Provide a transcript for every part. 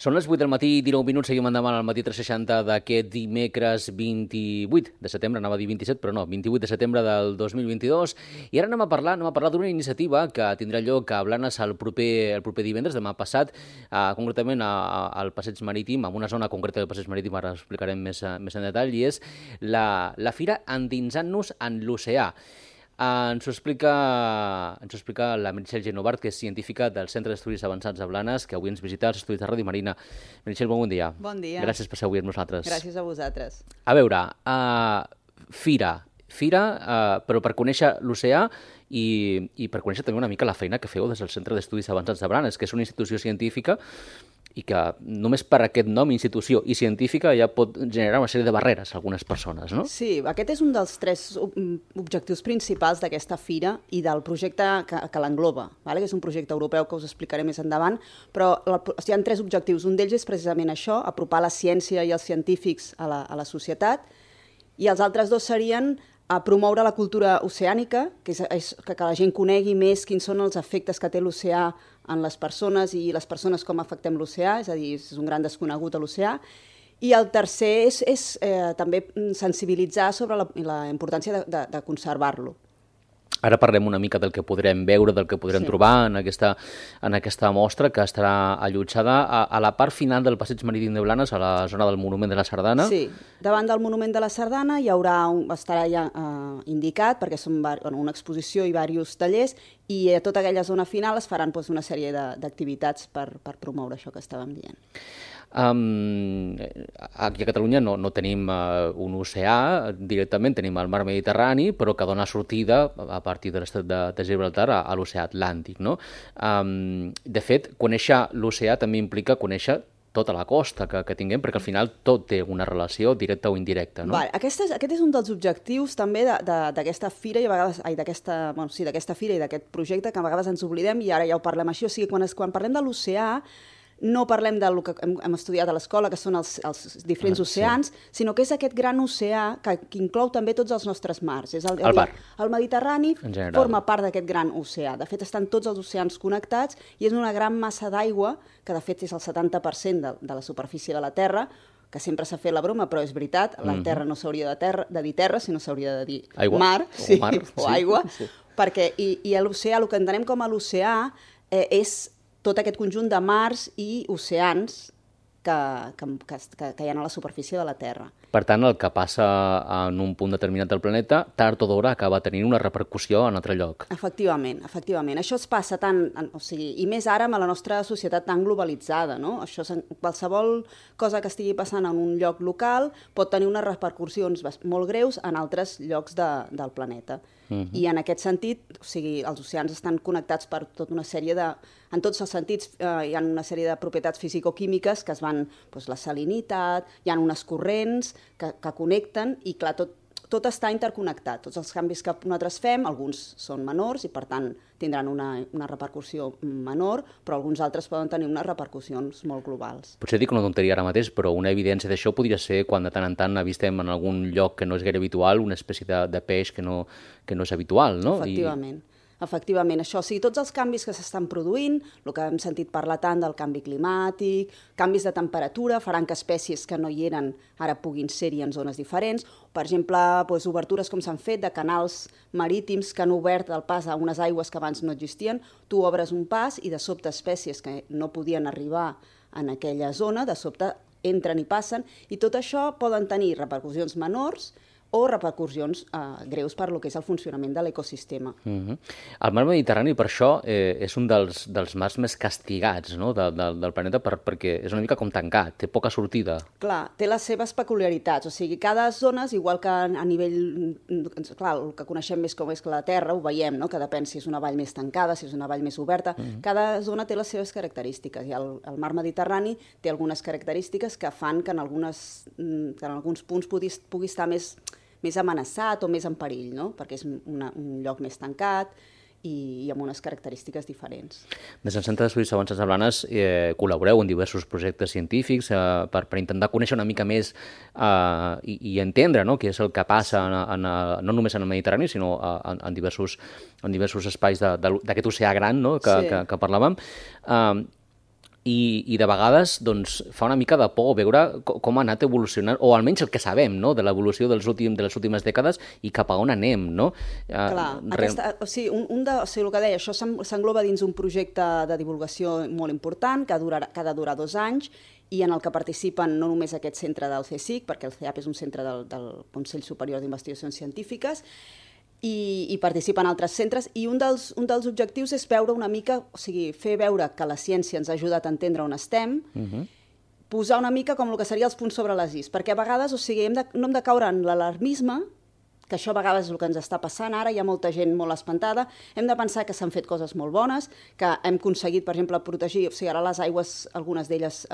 Són les 8 del matí, 19 minuts, seguim endavant al matí 360 d'aquest dimecres 28 de setembre, anava a dir 27, però no, 28 de setembre del 2022. I ara anem a parlar d'una iniciativa que tindrà lloc a Blanes el proper divendres, demà passat, concretament al Passeig Marítim, en una zona concreta del Passeig Marítim, ara explicarem més en detall, i és la Fira Endinsant-nos en l'Oceà. Ens ho explica la Meritxell Genovart, que és científica del Centre d'Estudis Avançats de Blanes, que avui ens visita als estudis de Ràdio Marina. Meritxell, bon dia. Bon dia. Gràcies per ser avui amb nosaltres. Gràcies a vosaltres. A veure, Fira, però per conèixer l'oceà i per conèixer també una mica la feina que feu des del Centre d'Estudis Avançats de Blanes, que és una institució científica i que només per aquest nom, institució i científica, ja pot generar una sèrie de barreres a algunes persones, no? Sí, aquest és un dels 3 objectius principals d'aquesta fira i del projecte que l'engloba, que és un projecte europeu que us explicaré més endavant, però hi ha 3 objectius. Un d'ells és precisament això, apropar la ciència i els científics a la societat, i els altres 2 serien promoure la cultura oceànica, que la gent conegui més quins són els efectes que té l'oceà en les persones i les persones com afectem l'oceà, és a dir, és un gran desconegut a l'oceà. I el tercer és també sensibilitzar sobre la importància de conservar-lo. Ara parlem una mica del que podrem veure, del que podrem trobar en aquesta mostra, que estarà allotjada a la part final del Passeig Marítim de Blanes, a la zona del Monument de la Sardana. Sí, davant del Monument de la Sardana estarà ja indicat, perquè són una exposició i diversos tallers, i a tota aquella zona final es faran una sèrie d'activitats per promoure això que estàvem dient. Aquí a Catalunya no tenim un oceà directament, tenim el mar Mediterrani, però que dona sortida a partir de l'estat de Gibraltar a l'oceà Atlàntic, no? De fet, conèixer l'oceà també implica conèixer tota la costa que tinguem, perquè al final tot té una relació directa o indirecta, no? Aquest és un dels objectius també d'aquesta fira i a vegades d'aquesta fira i d'aquest projecte, que a vegades ens oblidem i ara ja ho parlem així. O sigui, quan parlem de l'oceà no parlem del que hem estudiat a l'escola, que són els diferents oceans, sinó que és aquest gran oceà que inclou també tots els nostres mars. El Mediterrani forma part d'aquest gran oceà. De fet, estan tots els oceans connectats i és una gran massa d'aigua, que de fet és el 70% de la superfície de la Terra, que sempre s'ha fet la broma, però és veritat, la Terra no s'hauria de dir terra, sinó s'hauria de dir mar o aigua, perquè l'oceà, el que entenem com a l'oceà, és tot aquest conjunt de mars i oceans que hi ha a la superfície de la Terra. Per tant, el que passa en un punt determinat del planeta, tard o d'hora acaba tenint una repercussió en altre lloc. Efectivament. Això es passa tant, i més ara amb la nostra societat tan globalitzada, no? Qualsevol cosa que estigui passant en un lloc local pot tenir unes repercussions molt greus en altres llocs del planeta. I en aquest sentit, els oceans estan connectats per tota una sèrie en tots els sentits, hi ha una sèrie de propietats fisicoquímiques que es van, la salinitat, hi ha unes corrents que connecten i, clar, tot està interconnectat. Tots els canvis que nosaltres fem, alguns són menors i, per tant, tindran una repercussió menor, però alguns altres poden tenir unes repercussions molt globals. Potser dic una tonteria ara mateix, però una evidència d'això podria ser quan de tant en tant avistem en algun lloc que no és gaire habitual una espècie de peix que no és habitual, no? Efectivament, això. Tots els canvis que s'estan produint, el que hem sentit parlar tant del canvi climàtic, canvis de temperatura, faran que espècies que no hi eren ara puguin ser-hi en zones diferents. Per exemple, obertures com s'han fet de canals marítims que han obert el pas a unes aigües que abans no existien. Tu obres un pas i de sobte espècies que no podien arribar en aquella zona, de sobte entren i passen, i tot això poden tenir repercussions menors o repercussions greus per lo que és el funcionament de l'ecosistema. El mar Mediterrani, per això, és un dels mars més castigats, no?, del planeta, perquè és una mica com tancat, té poca sortida. Clar, té les seves peculiaritats, o sigui, cada zona, igual que a nivell... Clar, el que coneixem més com és la Terra, ho veiem, no?, que depèn si és una vall més tancada, si és una vall més oberta, cada zona té les seves característiques, i el mar Mediterrani té algunes característiques que fan que en alguns punts pugui estar més amenaçat o més en perill, no? Perquè és un lloc més tancat i amb unes característiques diferents. Des del Centre d'Estudis Avançats de Blanes col·laboreu en diversos projectes científics per intentar conèixer una mica més i entendre què és el que passa no només en el Mediterrani, sinó en diversos espais d'aquest oceà gran que parlàvem. i de vegades doncs, fa una mica de por veure com ha anat evolucionant, o almenys el que sabem, no?, de l'evolució de les últimes dècades i cap a on anem, no? Clar, o sigui, el que deia, això s'engloba dins un projecte de divulgació molt important que ha de durar 2 anys i en el que participen no només aquest centre del CSIC, perquè el CEAP és un centre del Consell Superior d'Investigacions Científiques, i participen altres centres, i un dels objectius és veure una mica, o sigui, fer veure que la ciència ens ha ajudat a entendre on estem, posar una mica com el que seria els punts sobre les is, perquè a vegades, o sigui, no hem de caure en l'alarmisme, que això a vegades és el que ens està passant ara, hi ha molta gent molt espantada, hem de pensar que s'han fet coses molt bones, que hem aconseguit, per exemple, protegir, o sigui, ara les aigües, algunes d'elles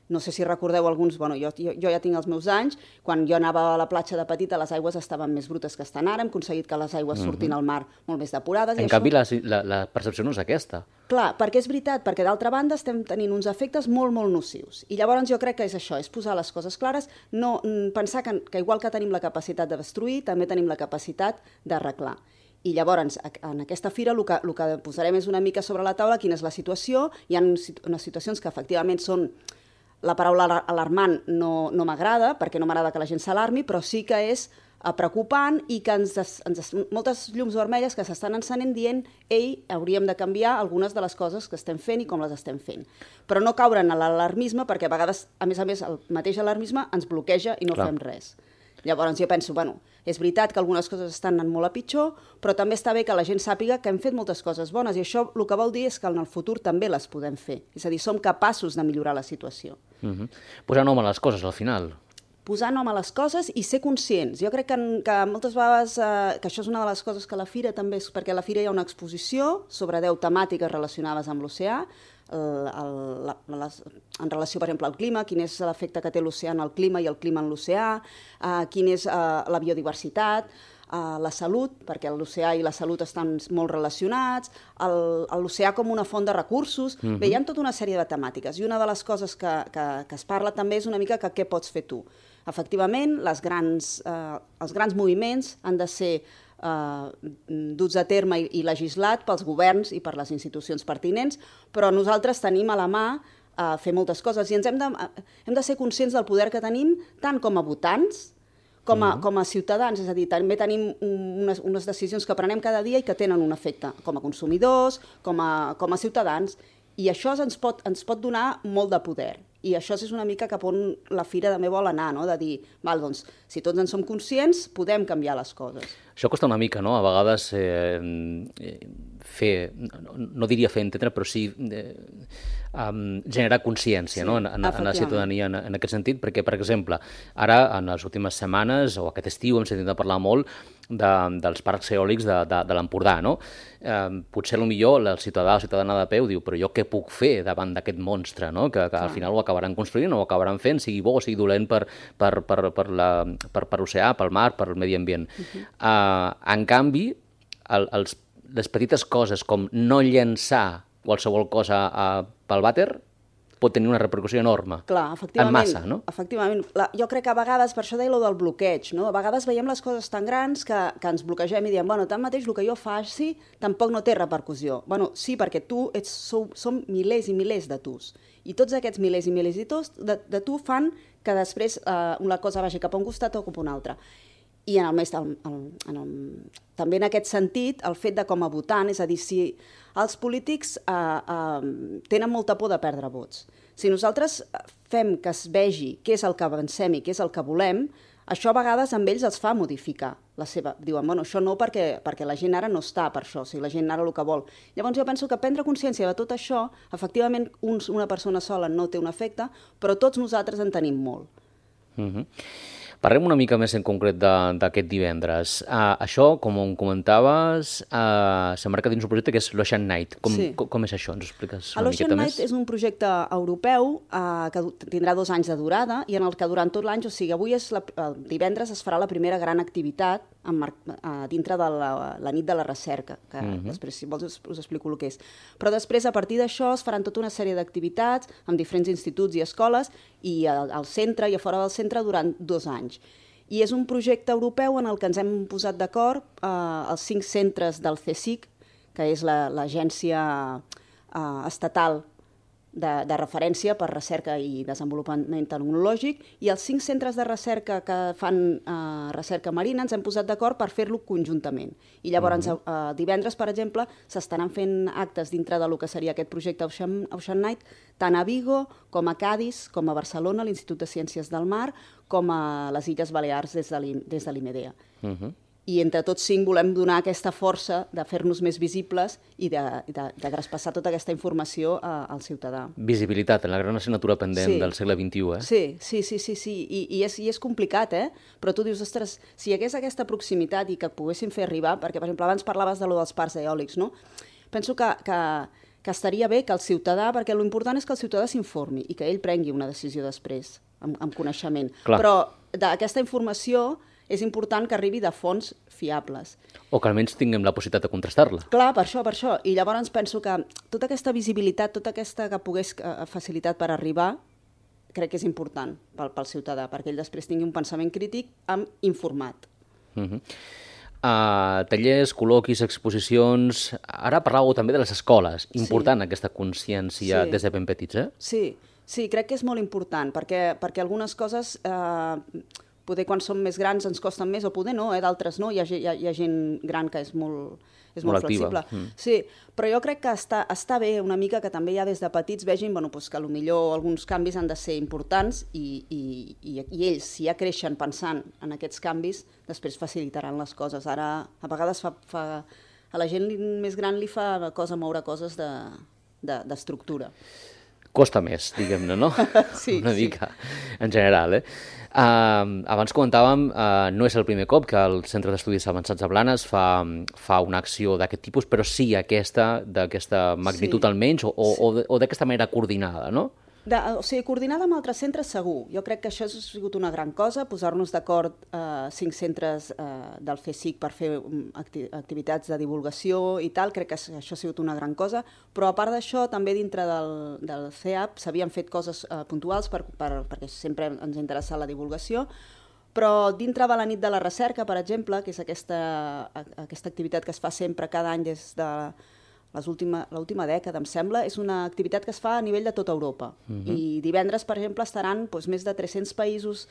no sé si recordeu alguns, bueno, jo ja tinc els meus anys, quan jo anava a la platja de petita les aigües estaven més brutes que estan ara, hem aconseguit que les aigües surtin al mar molt més depurades. En canvi, la percepció no és aquesta. Clar, perquè és veritat, perquè d'altra banda estem tenint uns efectes molt, molt nocius. I llavors jo crec que és això, és posar les coses clares, no pensar que igual que tenim la capacitat de destruir, també tenim la capacitat d'arreglar. I llavors, en aquesta fira, el que posarem és una mica sobre la taula quina és la situació. Hi ha unes situacions que efectivament són... La paraula alarmant no m'agrada, perquè no m'agrada que la gent s'alarmi, però sí que és preocupant i que moltes llums vermelles que s'estan encenent dient ei, hauríem de canviar algunes de les coses que estem fent i com les estem fent. Però no caure en l'alarmisme, perquè a vegades, a més, el mateix alarmisme ens bloqueja i no fem res. Llavors jo penso, bueno, és veritat que algunes coses estan anant molt a pitjor, però també està bé que la gent sàpiga que hem fet moltes coses bones i això el que vol dir és que en el futur també les podem fer. És a dir, som capaços de millorar la situació. Posar nom a les coses, al final. Posar nom a les coses i ser conscients. Jo crec que moltes vegades, que això és una de les coses que a la Fira també és, perquè a la Fira hi ha una exposició sobre 10 temàtiques relacionades amb l'oceà, en relació, per exemple, al clima, quin és l'efecte que té l'oceà en el clima i el clima en l'oceà, quina és la biodiversitat, la salut, perquè l'oceà i la salut estan molt relacionats, l'oceà com una font de recursos. Bé, hi ha tota una sèrie de temàtiques i una de les coses que es parla també és una mica que què pots fer tu. Efectivament, els grans moviments han de ser duts a terme i legislat pels governs i per les institucions pertinents, però nosaltres tenim a la mà fer moltes coses i hem de ser conscients del poder que tenim tant com a votants com a ciutadans, és a dir, també tenim unes decisions que prenem cada dia i que tenen un efecte com a consumidors, com a ciutadans, i això ens pot donar molt de poder. I això és una mica cap on la Fira també vol anar, no? De dir, val, doncs, si tots en som conscients, podem canviar les coses. Això costa una mica, no? A vegades fer, no diria fer entendre, però sí generar consciència, sí, no? en la ciutadania en aquest sentit, perquè, per exemple, ara, en les últimes setmanes, o aquest estiu, hem sentit a parlar molt dels parcs eòlics de l'Empordà, no? Potser millor el ciutadà o ciutadana de peu diu, però jo què puc fer davant d'aquest monstre, no? Que al final ho acabaran construint o ho acabaran fent, sigui bo o sigui dolent per l'oceà, pel mar, pel medi ambient. En canvi, les petites coses com no llençar qualsevol cosa pel vàter pot tenir una repercussió enorme. Clar, efectivament. En massa, no? Efectivament. Jo crec que a vegades, per això deia allò del bloqueig, no? A vegades veiem les coses tan grans que ens bloquegem i diem, bueno, tanmateix el que jo faci tampoc no té repercussió. Bueno, sí, perquè som milers i milers de tus. I tots aquests milers i milers de tu fan que després una cosa vagi cap a un costat o cap a un altre. I també en aquest sentit, el fet de com a votant, és a dir, si els polítics tenen molta por de perdre vots. Si nosaltres fem que es vegi què és el que avancem i què és el que volem, això a vegades amb ells els fa modificar la seva... Diuen, bueno, això no perquè la gent ara no està per això, o sigui, la gent ara el que vol. Llavors jo penso que prendre consciència de tot això, efectivament una persona sola no té un efecte, però tots nosaltres en tenim molt. Parlem una mica més en concret d'aquest divendres. Això, com em comentaves, s'emmarca dins un projecte que és l'Ocean Night. Com és això? Ens ho expliques una miqueta més? L'Ocean Night és un projecte europeu que tindrà 2 anys de durada i en el que durant tot l'any, o sigui, avui divendres es farà la primera gran activitat dintre de la nit de la recerca, que després, si vols, us explico el que és. Però després, a partir d'això, es faran tota una sèrie d'activitats amb diferents instituts i escoles i al centre i a fora del centre durant 2 anys. I és un projecte europeu en el que ens hem posat d'acord els 5 centres del CSIC, que és l'agència estatal de referència per recerca i desenvolupament tecnològic, i els 5 centres de recerca que fan recerca marina ens hem posat d'acord per fer-lo conjuntament. I llavors, divendres, per exemple, s'estaran fent actes dintre del que seria aquest projecte Ocean Night, tant a Vigo, com a Cadis, com a Barcelona, a l'Institut de Ciències del Mar, com a les Illes Balears des de l'IMEDEA. I entre tots 5 volem donar aquesta força de fer-nos més visibles i de traspassar tota aquesta informació al ciutadà. Visibilitat, la gran assignatura pendent del segle XXI, eh? Sí. I és complicat, eh? Però tu dius, ostres, si hi hagués aquesta proximitat i que poguéssim fer arribar, perquè, per exemple, abans parlaves de lo dels parcs eòlics, no? Penso que estaria bé que el ciutadà, perquè l'important és que el ciutadà s'informi i que ell prengui una decisió després, amb coneixement. Clar. Però d'aquesta informació és important que arribi de fonts fiables. O que almenys tinguem la possibilitat de contrastar-la. Clar, per això. I llavors penso que tota aquesta visibilitat, tota aquesta que pogués facilitat per arribar, crec que és important pel ciutadà, perquè ell després tingui un pensament crític informat. Tallers, col·loquis, exposicions... Ara parlàveu també de les escoles. Important aquesta consciència des de ben petits, eh? Sí, crec que és molt important, perquè algunes coses... poder quan som més grans ens costen més, o poder no, d'altres no, hi ha gent gran que és molt flexible. Sí, però jo crec que està bé una mica que també ja des de petits vegin que potser alguns canvis han de ser importants i ells, si ja creixen pensant en aquests canvis, després facilitaran les coses. Ara, a vegades a la gent més gran li fa cosa moure coses d'estructura. Costa més, diguem-ne, no? Sí. Una mica, en general, eh? Abans comentàvem, no és el primer cop que el Centre d'Estudis Avançats de Blanes fa una acció d'aquest tipus, però sí d'aquesta magnitud almenys, o d'aquesta manera coordinada, no? O sigui, coordinada amb altres centres segur. Jo crec que això ha sigut una gran cosa, posar-nos d'acord 5 centres del FECIC per fer activitats de divulgació i tal, crec que això ha sigut una gran cosa, però a part d'això, també dintre del CEAP s'havien fet coses puntuals perquè sempre ens ha interessat la divulgació, però dintre de la nit de la recerca, per exemple, que és aquesta activitat que es fa sempre cada any des de l'última dècada, em sembla, és una activitat que es fa a nivell de tota Europa. I divendres, per exemple, estaran més de 300 països,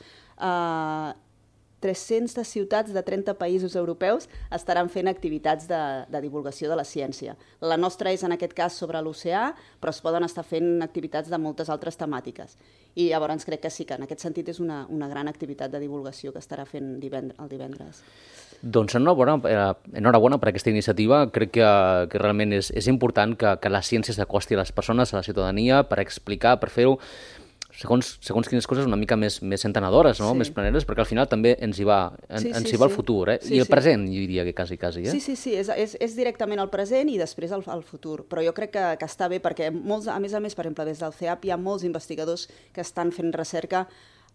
300 ciutats de 30 països europeus estaran fent activitats de divulgació de la ciència. La nostra és, en aquest cas, sobre l'oceà, però es poden estar fent activitats de moltes altres temàtiques. I llavors crec que sí, que en aquest sentit és una gran activitat de divulgació que estarà fent el divendres. Doncs enhorabona per aquesta iniciativa. Crec que realment és important que la ciència s'acosti a les persones, a la ciutadania, per explicar, per fer-ho segons quines coses una mica més entenedores, no? Més planeres, perquè al final també ens hi va el futur, eh? I el present, jo diria que quasi, eh? Sí, és directament el present i després el futur, però jo crec que està bé perquè a més, per exemple, des del CEAP hi ha molts investigadors que estan fent recerca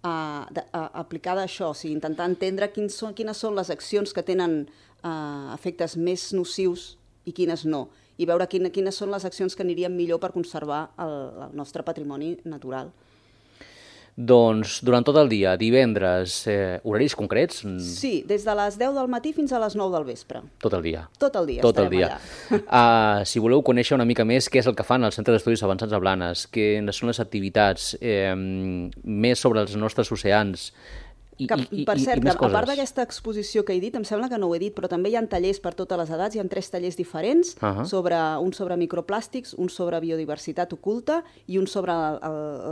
aplicada a això, o sigui, intentar entendre quines són les accions que tenen efectes més nocius i quines no, i veure quines són les accions que anirien millor per conservar el nostre patrimoni natural. Doncs durant tot el dia, divendres, horaris concrets? Sí, des de les 10 del matí fins a les 9 del vespre. Tot el dia? Tot el dia estarem allà. Si voleu conèixer una mica més què és el que fan al Centre d'Estudis Avançats de Blanes, quines són les activitats, més sobre els nostres oceans, per cert, a part d'aquesta exposició que he dit, em sembla que no ho he dit, però també hi ha tallers per totes les edats, hi ha 3 tallers diferents, un sobre microplàstics, un sobre biodiversitat oculta i un sobre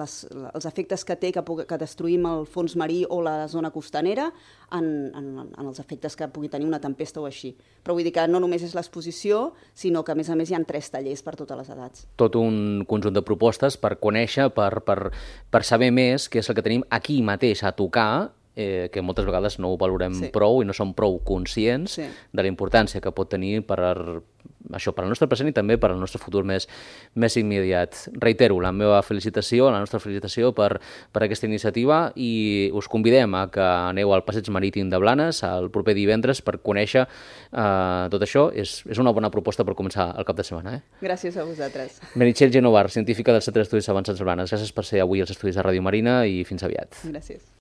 els efectes que té que destruïm el fons marí o la zona costanera en els efectes que pugui tenir una tempesta o així. Però vull dir que no només és l'exposició, sinó que a més hi ha 3 tallers per totes les edats. Tot un conjunt de propostes per conèixer, per saber més què és el que tenim aquí mateix a tocar, que moltes vegades no ho valorem prou i no som prou conscients de la importància que pot tenir per al nostre present i també per al nostre futur més immediat. Reitero la meva felicitació, la nostra felicitació per aquesta iniciativa i us convidem a que aneu al Passeig Marítim de Blanes el proper divendres per conèixer tot això. És una bona proposta per començar el cap de setmana. Gràcies a vosaltres. Meritxell Genovar, científica del Centre d'Estudis Avançats de Blanes. Gràcies per ser avui als Estudis de Ràdio Marina i fins aviat. Gràcies.